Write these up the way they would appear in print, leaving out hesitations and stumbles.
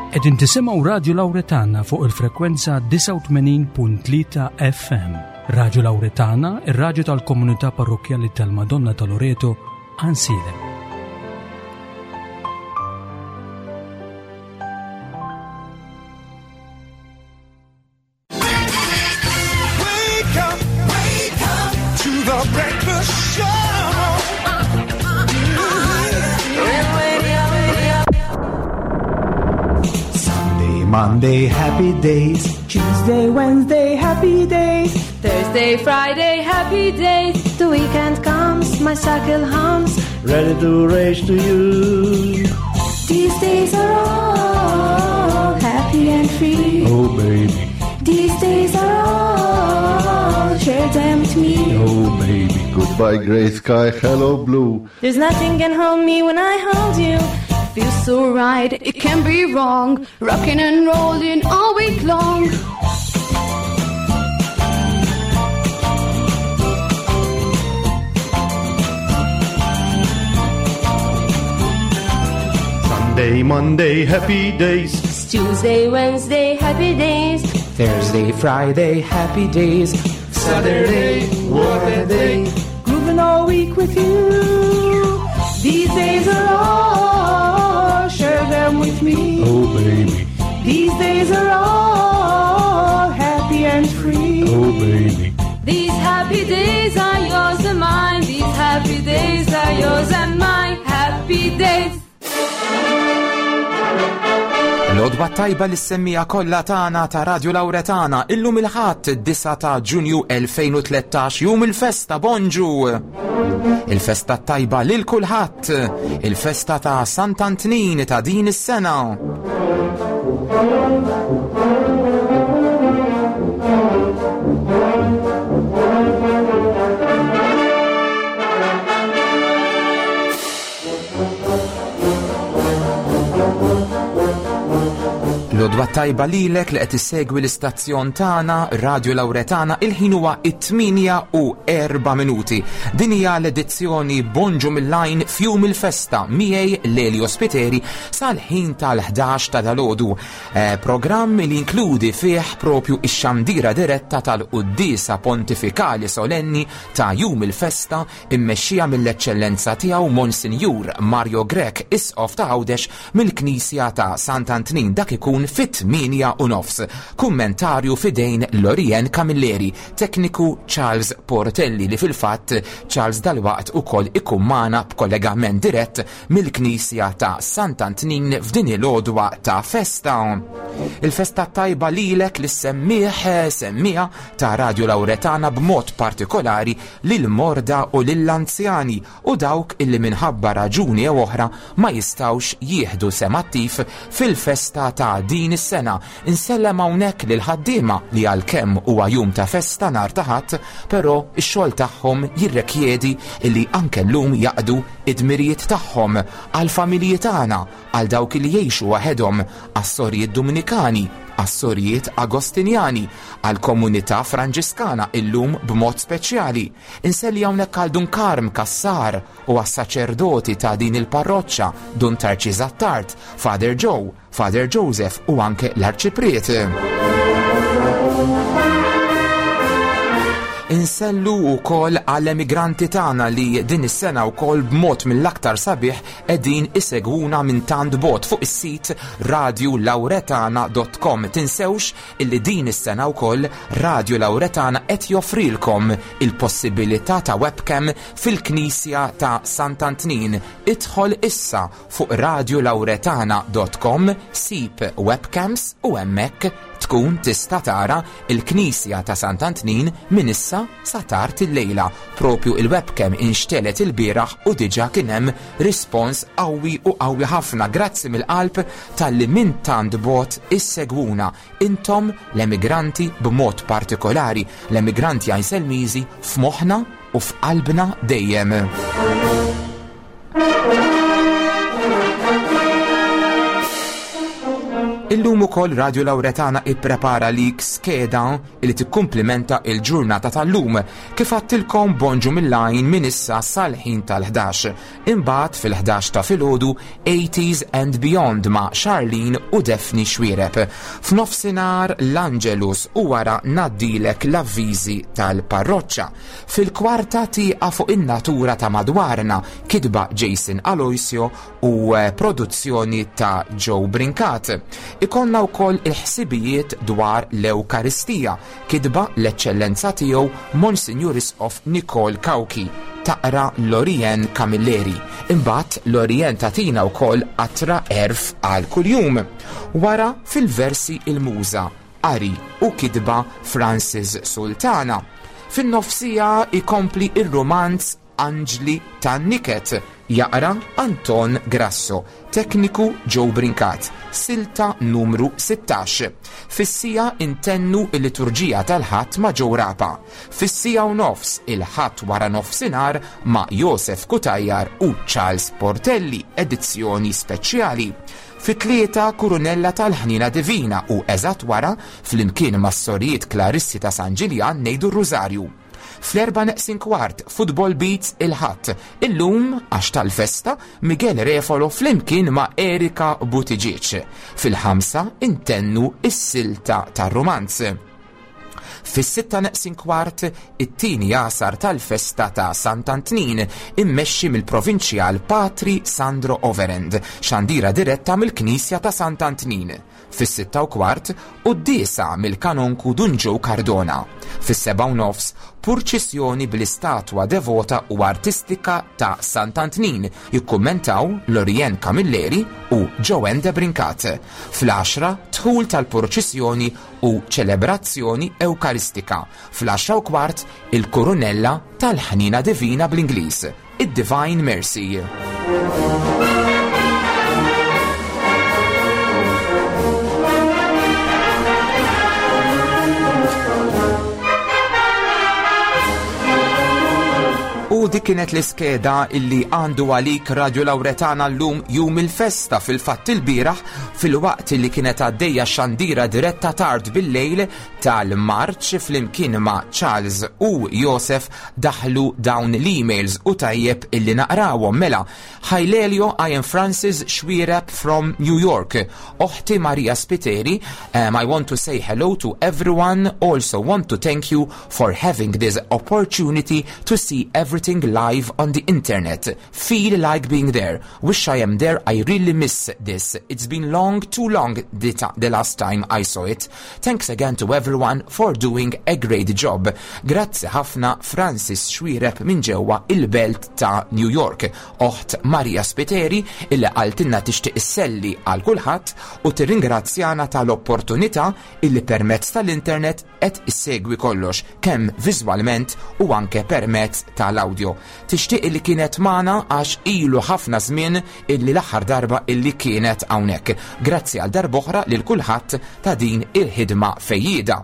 Qegħdin tisimgħu Radju Lawretana fuq il-frekwenza 89.3 FM. Radju Lawretana, ir-radju tal-komunità parrokkjali tal-Madonna ta' Loreto, Ansilem. Wake up, wake up to the breakfast show. Sunday, Monday, happy days. Tuesday, Wednesday, happy days. Thursday, Friday, happy days. The weekend comes, my cycle hums. Ready to race to you. These days are all happy and free. Oh, baby. These days are all, share them with me. Oh, baby. Goodbye, gray sky. Hello, blue. There's nothing can hold me when I hold you. Feels so right, it can be wrong. Rocking and rolling all week long. Sunday, Monday, happy days. Tuesday, Wednesday, happy days. Thursday, Friday, happy days. Saturday, what a day. Grooving all week with you. These days are all, share them with me. Oh, baby. These days are all happy and free. Oh, baby. These happy days are yours and mine. These happy days are yours and mine. Happy days. L-odwa tajba li semmija kollha tagħna ta' Radio Lauretana illum il-ħadd 9 ta' Ġunju 2013 jum il-festa bonġu. Il-festa tajba lil kulħadd, il-festa ta' Sant'Antnin ta' din is-sena. L-odwa tajba lilek li qed issegwi l-istazzjon tagħna Radio Lauretana il-ħin huwa it-8 u 4 minuti. Din hija l-edizzjoni Bonġu mill-lajn fjum il-festa miegħi Lelio Spiteri sal-ħin tal-11 ta' dalodu. Eh, programm li jinkludi fih propju ix-xandira diretta tal-Quddiesa Pontifikali Solenni ta' jum il-festa immexxija mill-Eċċellenza Tiegħu Monsinjur Mario Grech Isqof ta' Għawdex mill-Knisja ta' Sant'Antnin dak ikun fit-8 u nofs. Kummentarju f'idejn Lorien Camilleri, tekniku Charles Portelli li fil-fatt Charles dalwaqt ukoll ikun magħna b'kollegament dirett mill-Knisja ta' Sant'Antnin f'din il-għodwa ta' festa. Il-festa tajba lilek li semmiħ semmiha ta' Radio Lauretana b'mod partikolari lill-morda u lill-anzjani u dawk illi minħabba raġuni jew oħra ma jistgħux jieħdu sehem attiv fil-festa ta' din is-sena. Insellem hawnhekk lill-ħaddiema li għalkemm huwa jum ta' festa nhar ta' Ħadd, però x-xogħol tagħhom jirrekjedi illi anke llum jaqdu id-dmirijiet tagħhom għall-familji tagħna, għal dawk li jgħixu waħedhom, għas-sorijiet Duminikani, għas-sorijiet Agostinjani, għall-komunità Franġiskana illum b'mod speċjali. Inselli hawnhekk għal Dun Karm Cassar u għas-saċerdoti ta' din il-parroċċa, Dun Tarċis Attard, Father Joe, Father Joseph u anke l-Arċipriet. Insellu wkoll għall-emigranti tagħna li din is-sena wkoll b'mod mill-aktar sabiħ qegħdin isegwuna minn tant bogħod fuq is-sit radiolauretana.com. Tinsewx illi din is-sena wkoll Radio Lauretana qed joffrilkom il-possibilità ta' webcam fil-Knisja ta' Sant'Antnin. Idħol issa fuq radiolauretana.com, sib webcams u hemmhekk tkun tista' tara l-Knisja ta' Sant'Antnin minn issa sa tard illejla. Propju il-webcam inxtelet ilbieraħ u diġà kien hemm rispons qawwi u qawwi ħafna. Grazzi mill-qalb talli minn tant bogħod issegwuna. Intom l-emigranti b'mod partikolari, l-emigranti Għajnselmiżi f'moħħna u f'qalbna dejjem. Illum. ukoll Radio Lauretana ipprepara lik skeda li tikkumplimenta il-ġurnata tal-lum. Kif għattilkom bonġu mill-għajn minn issa sal-ħin tal-11. Imbagħad fil-11 ta' filgħodu 80s and Beyond ma' Charlene u Daphne Xuereb. F'nofsinhar l-Angelus u wara ngħaddilek l-avviżi tal-parroċċa. Fil-kwarta tieqa fuq in-natura ta' madwarna, kitba Jason Aloisio u eh, produzzjoni ta' Joe Brincat. Ikollna wkoll il-ħsibijiet dwar l-Ewkaristija, kitba l-Eċċellenza Tiegħu Monsinjur Isqof Nicole Cauchi, taqra Lorien Camilleri. Imbagħad Lorien tagħtina wkoll qatra għerf għal kuljum. Wara fil-versi il-muża, qari u kitba Francis Sultana. Fin-nofsija ikompli ir-rumanz Anġli tan-Niket, jaqra Anton Grasso, tekniku Joe Brincat, silta numru 16. Fis-siegħa intennu l-liturġija tal-Ħadd ma' Joe Rapa. Fis-siegħa u nofs il-Ħadd wara nofsinhar ma' Josef Cutajar u Charles Portelli, edizzjoni speċjali. Fit-tlieta Kurunella tal-Ħniena Divina u eżatt wara, flimkien mas-Sorijiet Klarissi ta' San Ġiljan ngħidu r-Rużarju. Fl-erba' neqsin kwart, Football Beats il-Ħadd. Illum, għax tal-festa, Miguel Refolo flimkien ma' Erika Buttigieg. Fil-ħamsa intennu s-silta tar-rumanz. Fis-sitta neqsin kwart, it-tieni għasar tal-festa ta' Sant'Antnin, immexxi mill-Provinċjal Patri Sandro Overend, xandira diretta mill-Knisja ta' Sant'Antnin. Fis-sitta u kwart, quddiesa mill-Kanonku Dun Joe Cardona. Fis-sebgħa u nofs, purċissjoni bl-istatwa devota u artistika ta' Sant'Antnin, jikkummentaw Lorien Camilleri u Joanne Debrincat. Fl-għaxra, dħul tal-purċissjoni u ċelebrazzjoni Ewkaristika. Fl-għaxra u kwart, il-Kurunella tal-Ħniena Divina bl-Ingliż. id-Divine Mercy. U dik kienet l-iskeda illi għandu għalik Radio Lauretana llum jum il-festa fil-fatt il-bieraħ fil-waqt li kienet għaddejja xandira diretta tard bil-lejl tal-Marċ flimkien ma' Charles u Josef Daħlu dawn l-emails u tajjeb illi naqrawhom mela. Hi Lelio, I am Francis Xuereb from New York. Oħti Maria Spiteri, um, I want to say hello to everyone, also want to thank you for having this opportunity to see everything live on the internet. Feel like being there. Wish I am there, I really miss this. It's been long, too long the, the last time I saw it. Thanks again to everyone for doing a great job. Grazzi ħafna Francis Xuereb minn ġewwa il-belt ta' New York. Oħt Maria Spiteri illi qaltilna tixtieq isselli għal kulħadd u tirringrazzjana tal-opportunità illi permezz tal-internet qed issegwi kollox kemm viżwalment u anke permezz tal-audio. Tixtieq illi kienet magħna għax ilu ħafna żmien illi l-aħħar darba illi kienet hawnhekk. Grazzi għal darb'oħra lil kulħadd ta' din il-ħidma fejjieda.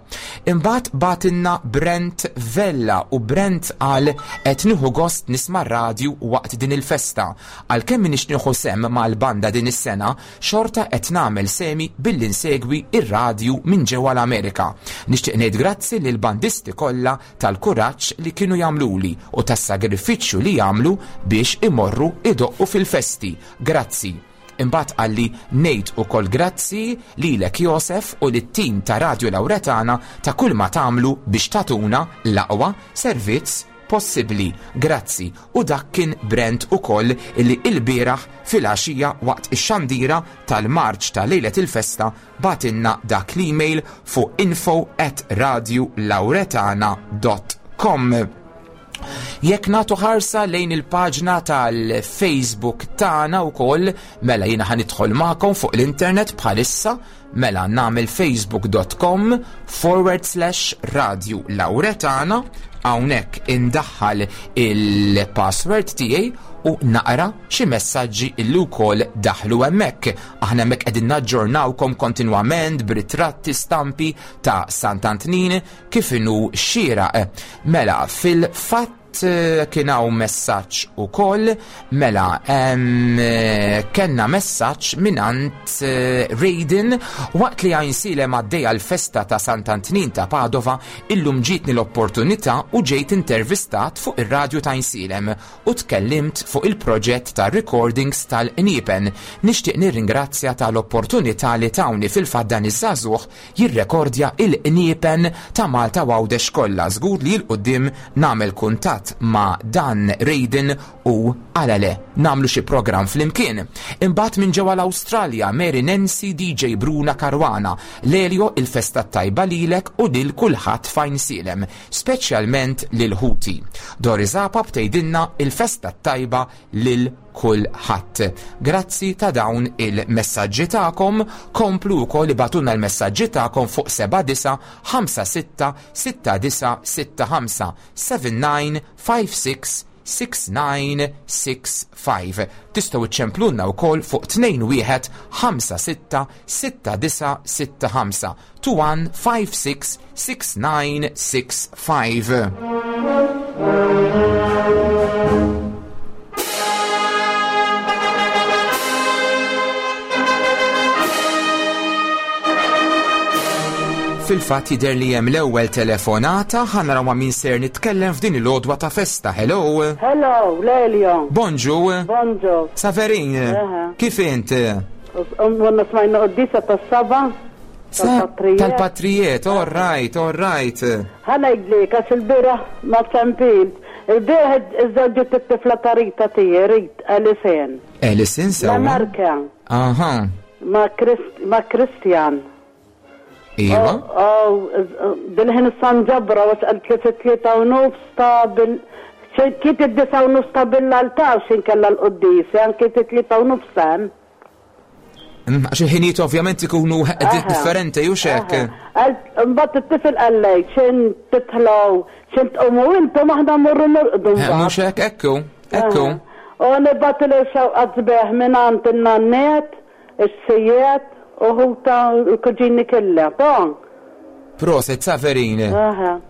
Imbagħad bagħtilna Brent Vella u Brent qal qed nieħu gost nisma' r-radju waqt din il-festa. Għalkemm m'iniex nieħu sehem mal-banda din is-sena, xorta qed nagħmel sehmi billi nsegwi r-radju minn ġewwa l-Amerika. Nixtieq ngħid grazzi lill-bandisti kollha tal-kuraġġ li kienu jagħmluli u tas-sagrifiċċju li jagħmlu biex imorru idoqqu fil-festi. Grazzi. Imbagħad qalli ngħid ukoll grazzi lilek Josef u lit-tim ta' Radio Lauretana ta' kull ma tagħmlu biex tagħtuna l-aqwa servizz possibbli. Grazzi. U dak kien Brent ukoll illi ilbieraħ filgħaxija waqt ix-xandira tal-marċ ta' lejlet il-festa Bagħtilna dak l-email fuq info at radiolauretana dot com. Jekk nagħtu ħarsa lejn il-paġna tal-Facebook tagħna wkoll, mela jiena ħa nidħol magħkom fuq l-internet bħalissa, mela nagħmel facebook.com forward slash radio lauretana, hawnhekk indaħħal il-password tiegħi u naqra xi messaġġi illi wkoll daħlu hemmhekk. Aħna hemmhekk qegħdin naġġornawkom kontinwament b'ritratti stampi ta' Sant'Antnin kif inhu xieraq. Mela fil-fatt Imbagħad eh, kien hawn messaġġ ukoll mela eh, kellna messaġġ mingħand eh, Raiden waqt li Għajnsielem għaddejja l-festa ta' Sant'Antnin ta' Padova illum ġietni l-opportunità u ġejt intervistat fuq ir-radju ta' Għajnsielem u tkellimt fuq il-proġett ta' recordings tal-qniepen. Nixtieq nirringrazzja tal-opportunità li tawni fil-fatt dan iż-żagħżugħ jirrekordja il-qniepen ta' Malta u Għawdex kollha. Żgur li 'l quddiem nagħmel kuntatt ma' dan Raiden u għala le, nagħmlu xi programm flimkien. Imbagħad minn ġewwa l-Awstralja, Mary Nancy DJ Bruna Caruana, Lelio il-festa t-tajba lilek u lil kulħadd f'Għajnsielem, speċjalment lil ħuti. Doris Apap tgħidilna il-festa t-tajba lil kulħadd. Grazzi ta' dawn il-messaġġi tagħkom, komplu wkoll ibagħtulna l-messaġġi tagħkom fuq 79 56 69 65 79 56 6965. Tistgħu iċċemplulna wkoll fuq 21 56 6965 21 56 6965. Fil-fatt jidher li hemm l-ewwel telefonata, ħa naraw ma' min ser nitkellem f'din il-għodwa ta' festa. Hello. Hello, Lelio. Bonġu. Bonġu. Saverin, kif int? Għonna smajna qoddisa tas-saba. Tal-patrijiet. Tal-patrijiet, all right, all right. Ħa ngħidlek għax il-bieraħ ma ċempilt. Il-bieraħ iżżewġet it-tifla ta' Rita tiegħi, Rit, Alison. Alison sewwa. L-Amerika. Aha. Ma' Christian. Iva. Bil-ħin issa nġabra għax qalt li fit-tlieta u nofs ta' bil Kiet id-disa u nofs ta' bil-altar x'in kellha l-quddiesa, kiet it-tlieta u nofs hemm. Mm, għax il-ħinijiet ovvjament ikunu differenti u xek. Mbagħad it-tifel qallej x'in titħlaw, x'in tqumu intom aħna mmorru norqdu. Eh, mhux hekk, ekku, ekku. U nibgħat xewqat sbieħ minn għand in-nanniet Is-sejjiet u ħuta l-kuġini kella. Ton. Proset, Saverin.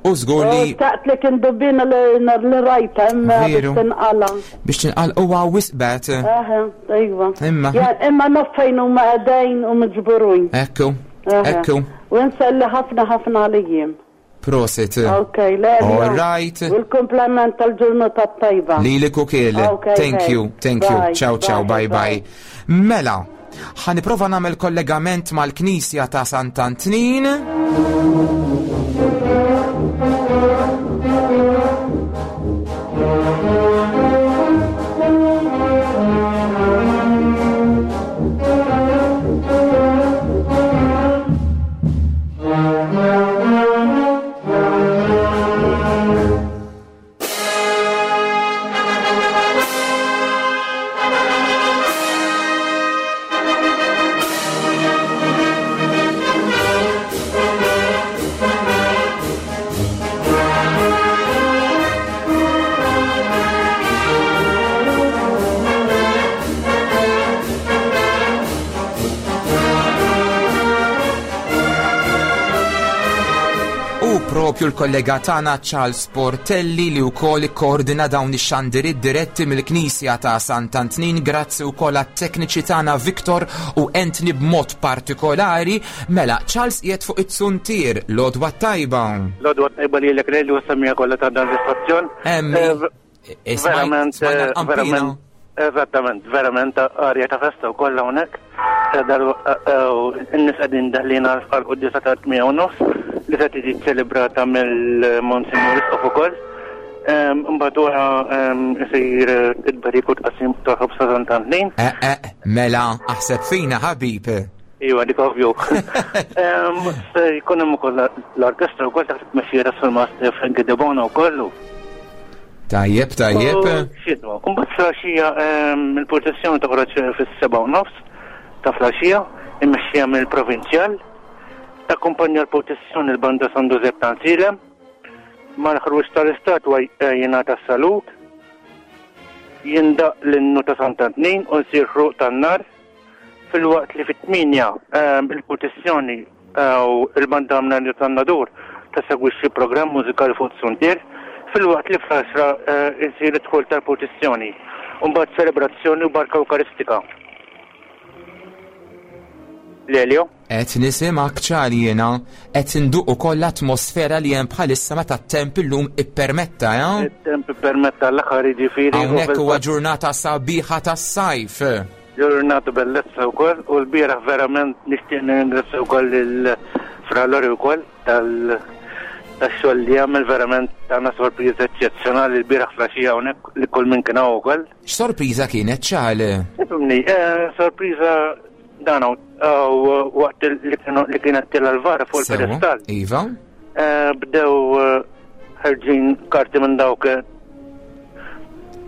U żgur li. Xtaqt li kien dubina li rajta imma biex tinqala. Biex tinqala huwa wisqbet. Aha, iva. Imma. Imma naf fejn huma qegħdin u miġburin. Ekku. Ekku. U nselli ħafna ħafna għalijiem. Prosit. Ok, le. All right. U l-komplement tal-ġurnata tajba. Lili kukil. Okay, thank you, thank you. Ciao, ciao, bye, bye. Mela, ħaniprofa nagħmel kollegament mal-Knisja ta' Sant'Antnin. U propju l-kollega tagħna Charles Portelli li wkoll ikkoordina dawn ix-xandiriet diretti mill-Knisja ta' Sant'Antnin grazzi wkoll għat-tekniċi tagħna Victor u Anthony b'mod partikolari. Mela, Charles qiegħed fuq it-suntier, l-għodwa tajba. L-għodwa tajba lilek lejl u s-semmiegħa kollha ta' dan l-istazzjon. Emmi. Eh, verament, eh, verament, eżattament, verament arja ta' festa u kollha hawnhekk. Eh, in-nies qegħdin daħlin għal quddisa ta' 8 u nofs li se tiġi ċelebrata mill-Monsignor Isqof ukoll. Mbagħad wara isir id-bariku tqassim ta' ħobż ta' Sant'Antnin. Mela, aħseb fina ħabib. Iva, dik ovvju. Se jkun hemm ukoll l-orkestra wkoll taħt it-tmexxija ta' Surmast Frankie De Bono wkoll. Tajjeb, tajjeb. Xidwa, mbagħad flaxija il-proċessjoni toħroġ fis-7 u nofs ta' flaxija, immexxija mill-provinċjal. Takkumpanja l-proċessjoni l-banda San Giuseppe ta' Nsilem. Mal-ħruġ tal-istatwa jingħata s-salut, jindaq l-innu ta' Sant'Antnin u jsir ħruq tan-nar. Filwaqt li fit-8 ehm, il-purtissjoni eh, u il-banda Mnarju tan-Nadur tesegwixxi programm mużikali fuq Suntier. filwaqt li fl-10 isir id-dħul tal-purċissjoni u mbagħad ċelebrazzjoni u barka Ewkaristika. Lelio? Qed nisimgħek ċar jiena, qed induq ukoll l-atmosfera li hemm bħalissa meta t-temp illum ippermetta, eh? It-temp ippermetta l-aħħar jiġifieri. Hawnhekk huwa ġurnata sabiħa tas-sajf. Ġurnata bellezza wkoll u l-bieraħ verament nixtieq nirringrazzja wkoll lil Fra Lori wkoll tal tax-xogħol li għamel verament tana sorpriża eċċezzjonali l-bieraħ flaxija hawnhekk li kull min kien hawn ukoll. X'sorpriża kienet ċal? Ifhimni, eh, sorpriża dan waqt li kienet tila l-vara fuq il-pedestal. Iva. Eh, bdew eh, ħerġin karti minn dawk eh,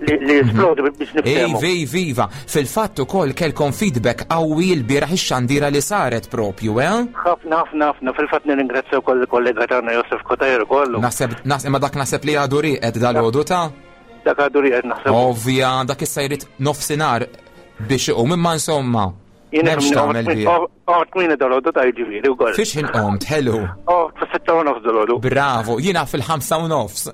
li mhm. jisplodu biex niftehmu. Iva, iva, Fil-fatt ukoll kelkom feedback qawwi l-bieraħ ix-xandira li saret propju, eh? Ħafna, ħafna, ħafna. Fil-fatt nirringrazzja wkoll il-kollega tagħna Josef Kotajr ukoll. Naħseb, imma dak naħseb li għadu rieqed dal-għodu ta' Dak għadu rieqed naħseb. Ovvja, dak issa jrid nofsinhar biex iqum imma insomma. M'hemmx tagħmel bih. Qomt kmieni dal-għodu ta' jiġifieri wkoll. Fiex ħin qomt, ħelu. Qomt fis-6:30 dal-għodu. Bravo, jiena fil-5:30.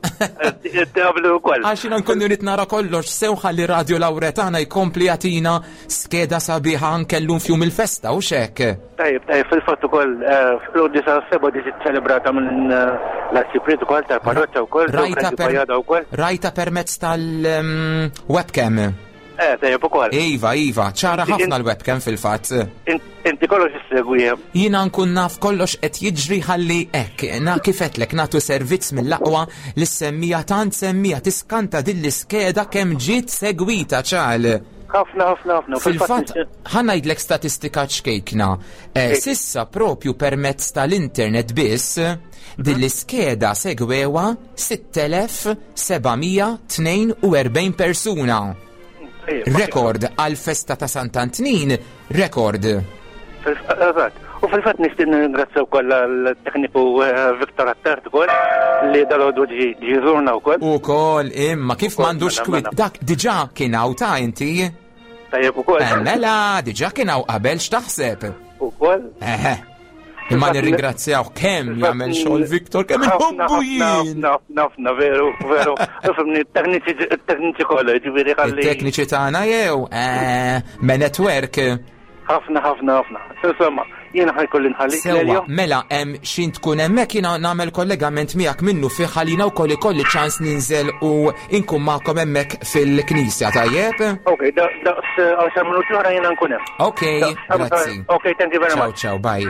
Tablu wkoll. Għax jiena nkun irid nara kollox sew ħalli Radio Lawretana jkompli jagħtina skeda sabiħa anke llum f'jum il-festa u xek. Tajjeb, tajjeb, fil-fatt ukoll eh, fl-għoddi sa' seba ġiet ċelebrata minn eh, l-arċipriet ukoll tal-parroċċa wkoll, Rajta permezz tal-webcam. Mm, Eh, tajjeb ukoll. Iva, iva, ċara ħafna l-webcam fil-fatt. Inti kollox issegwi. Jiena nkun naf kollox qed jiġri ħalli hekk, na kifetlek nagħtu servizz mill-aqwa li semmija tant semmija tiskanta din l-iskeda kemm ġiet segwita ċal. Ħafna, ħafna, ħafna. Fil-fatt, ħa ngħidlek statistika ċkejkna. Eh, sissa propju permezz tal-internet biss, din l-iskeda segwewa 6,742 persuna. Rekord għal festa ta' Sant'Antnin, rekord. Eżatt. U fil-fatt nixtieq nirringrazzja wkoll għall-tekniku eh, Victor Attard ukoll li dal-għodu ġi żurna wkoll. Ukoll imma kif m'għandux mela, kwit mela. dak diġà kien hawn ta' inti. Tajjeb ukoll. Eh, mela, diġà kien hawn qabel x'taħseb. Ukoll. Eħe. Imma nirringrazzjaw kemm jagħmel xogħol Viktor, kemm inħobbu jien. Nafna, veru, veru. Fimni, tekniċi kollha, ġifieri ħalli. Tekniċi tagħna jew eh, me network. Ħafna, ħafna, ħafna. Insomma, jiena ħajkolli nħalli. Sewwa, mela hemm xin tkun hemmhekk jiena nagħmel kollegament miegħek minnu fih ħalina wkoll ikolli ċans ninżel u inkun magħkom hemmhekk fil-knisja, tajjeb? Ok, daqs 10 eh, minuti oħra jiena nkun hemm. Ok, grazzi. Ok, thank you very much. Ciao, ciao, bye.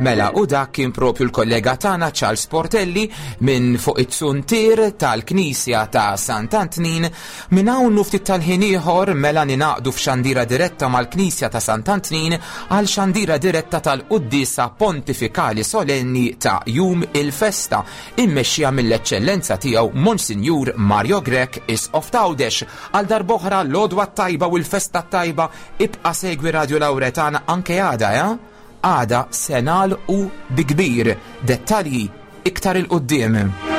Mela, u dak kien propju l-kollega tagħna Charles Portelli minn fuq it-suntier tal-Knisja ta' Sant'Antnin Minn hawn u ftit tal-ħin ieħor mela ningħaqdu f'xandira diretta mal-Knisja ta' Sant'Antnin għal xandira diretta tal-Quddiesa Pontifikali Solenni ta' Jum il-Festa immexxija mill-Eċċellenza Tiegħu Monsinjur Mario Grech Isqof t'Għawdex. Għal darb'oħra l-għodwa t-tajba u l-festa t-tajba ibqa' segwi Radio Lauretana anke għada, eh? Għada se nagħlqu bi kbir. Dettalji iktar 'il quddiem.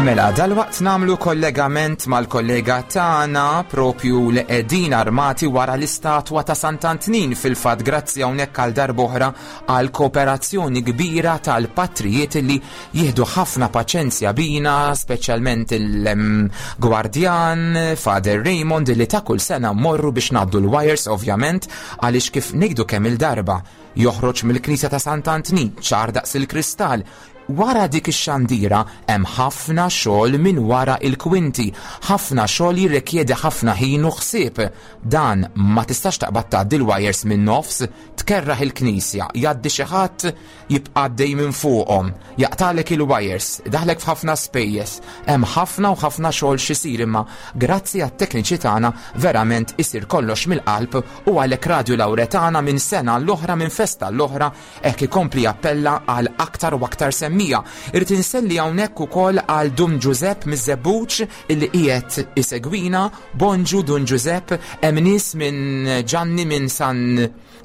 Mela, dalwaqt namlu kollegament mal-kollega tagħna propju li qegħdin armati wara l-istatwa ta' Sant'Antnin fil-fatt grazzi hawnhekk għal darb'oħra għal kooperazzjoni kbira tal-patrijiet li jieħdu ħafna paċenzja bina, speċjalment il-gwardjan Father Raymond li ta' kull sena mmorru biex ngħaddu l-wires ovvjament għaliex kif ngħidu kemm il-darba joħroġ mill-Knisja ta' Sant'Antnin ċar daqs il-kristall. Wara dik ix-xandira hemm ħafna xogħol minn wara il-kwinti, ħafna xogħol jirrikjedi ħafna ħin u ħsieb. Dan ma tistax taqbad tgħaddi l-wires minn nofs, tkerraħ il-knisja, jgħaddi xi ħadd jibqa' għaddej minn fuqhom, jaqtalek il-wires, daħlek f'ħafna spejjeż. Hemm ħafna u ħafna xogħol x'isir imma grazzi għat-tekniċi tagħna verament isir kollox mill-qalb u għalhekk Radju Lawretana minn sena l-oħra minn festa l-oħra Hekk ikompli jappella għal aktar u aktar semmija. Irrid inselli hawnhekk ukoll għal Dun Ġużepp miż-Żebbuġ illi qiegħed isegwina. Bonġu Dun Ġużepp, hemm nies minn Ġanni minn San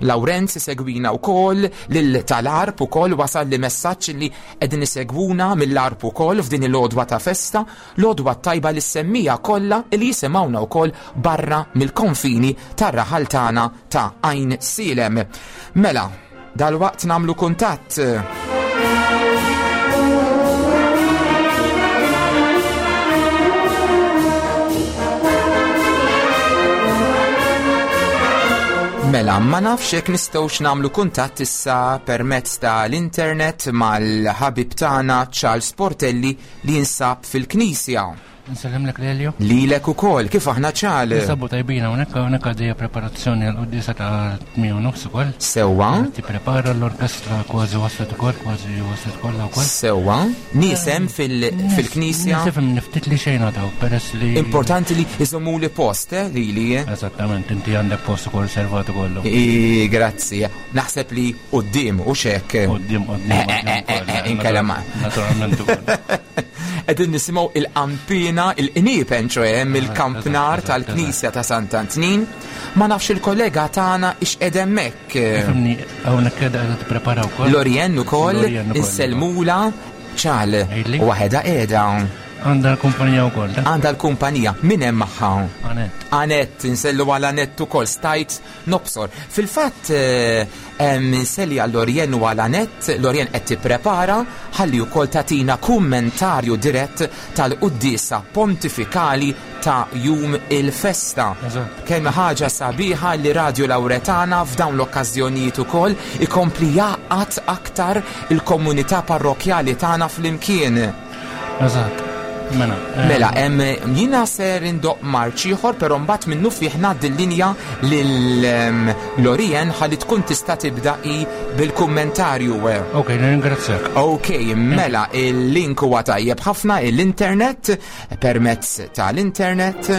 Lawrenz isegwina wkoll, lil tal-Għarb ukoll wasal li messaġġ li qegħdin isegwuna mill-Għarb ukoll f'din il-għodwa ta' festa, l-għodwa t-tajba lis-semmija kollha li jisimgħuna wkoll barra mill-konfini tar-raħal tagħna ta' Għajn Sielem. Mela, dalwaqt nagħmlu kuntatt. Mela, ma nafx jekk nistgħux nagħmlu kuntatt issa permezz tal-internet mal-ħabib tagħna Charles Portelli li jinsab fil-Knisja. Nsellimlek Lelio. Lilek ukoll, kif aħna ċal? Ninsabu tajbin hawnhekk, hawnhekk għaddejja preparazzjoni għal quddiesa ta' 8 nofs ukoll. Sewwa. Tipprepara l-orkestra kważi waslet ukoll, kważi waslet kollha wkoll. Sewwa. Nies hemm fil-knisja. Nies hemm niftit li xejn għadaw peress li. Importanti li iżommu li post, eh, lili. Eh? Eżattament, inti għandek post ukoll servat ukoll. Grazzi. Naħseb li quddiem u xek. Quddiem, quddiem. Eh, eh, inkella ma. Naturalment ukoll. Qegħdin nisimgħu il-qampina, il-qniepen ċoe mill-kampnar tal-Knisja ta' Sant'Antnin. Ma nafx il-kollega tagħna ix qed hemmhekk. Fimni, hawnhekk qiegħda qiegħda tipprepara wkoll. Lorien ukoll, insellmula ċal. Waħedha qiegħda. Għandha l-kumpanija wkoll. Għandha l-kumpanija. Min hemm magħha? Anett. Anett, insellu għal Anett ukoll stajt Nobsor. Fil-fatt, inselli għal Lorien u għal Anett, Lorien qed tipprepara ħalli wkoll tagħtina kummentarju dirett tal-quddiesa pontifikali ta' jum il-festa. Kemm ħaġa sabiħa li Radju Lawretana f'dawn l-okkażjonijiet ukoll ikompli jgħaqqad aktar il-komunità parrokkjali tagħna flimkien. Eżatt. Mela, eh, mela hemm jiena ser indoq marċ ieħor, però mbagħad minnu fih ngħaddi l-linja lil Lorien ħalli tkun tista' tibda i bil-kummentarju. Ok, nirringrazzjak. Ok, mela il-link huwa tajjeb ħafna l-internet permezz tal-internet.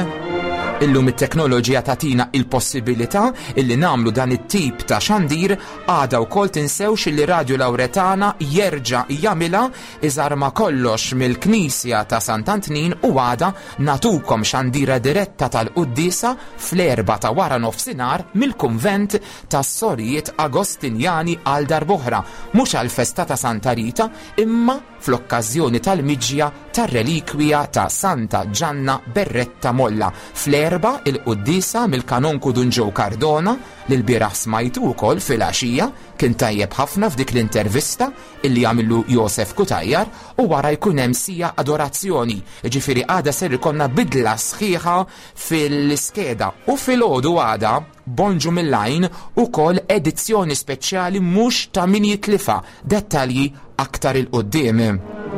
Illum it-teknoloġija tagħtina il-possibilità illi nagħmlu dan it-tip ta' xandir għada wkoll tinsewx li Radio Lauretana jerġa' jagħmilha Iżarma kollox mill-Knisja ta' Sant'Antnin u għada nagħtukom xandira diretta tal-quddiesa fl-erbgħa ta' wara nofsinhar mill-Kunvent tas-Sorijiet Agostinjani għal darb'oħra, mhux għall-festa ta' Santa Rita imma fl-okkażjoni tal-miġja tar-relikwija ta' Santa Ġanna Berretta Molla. Fl-erbgħa il-quddiesa mill-Kanonku Dun Joe Cardona li lbieraħ smajtu wkoll filgħaxija kien tajjeb ħafna f'dik l-intervista illi għamillu Josef Cutajar u wara jkun hemm sija adorazzjoni, jiġifieri għada ser ikollna bidla sħiħa fil-iskeda u filgħodu għada Bonġu mill-Għajn ukoll edizzjoni speċjali mhux ta' min jitlifha, dettalji aktar 'il quddiem.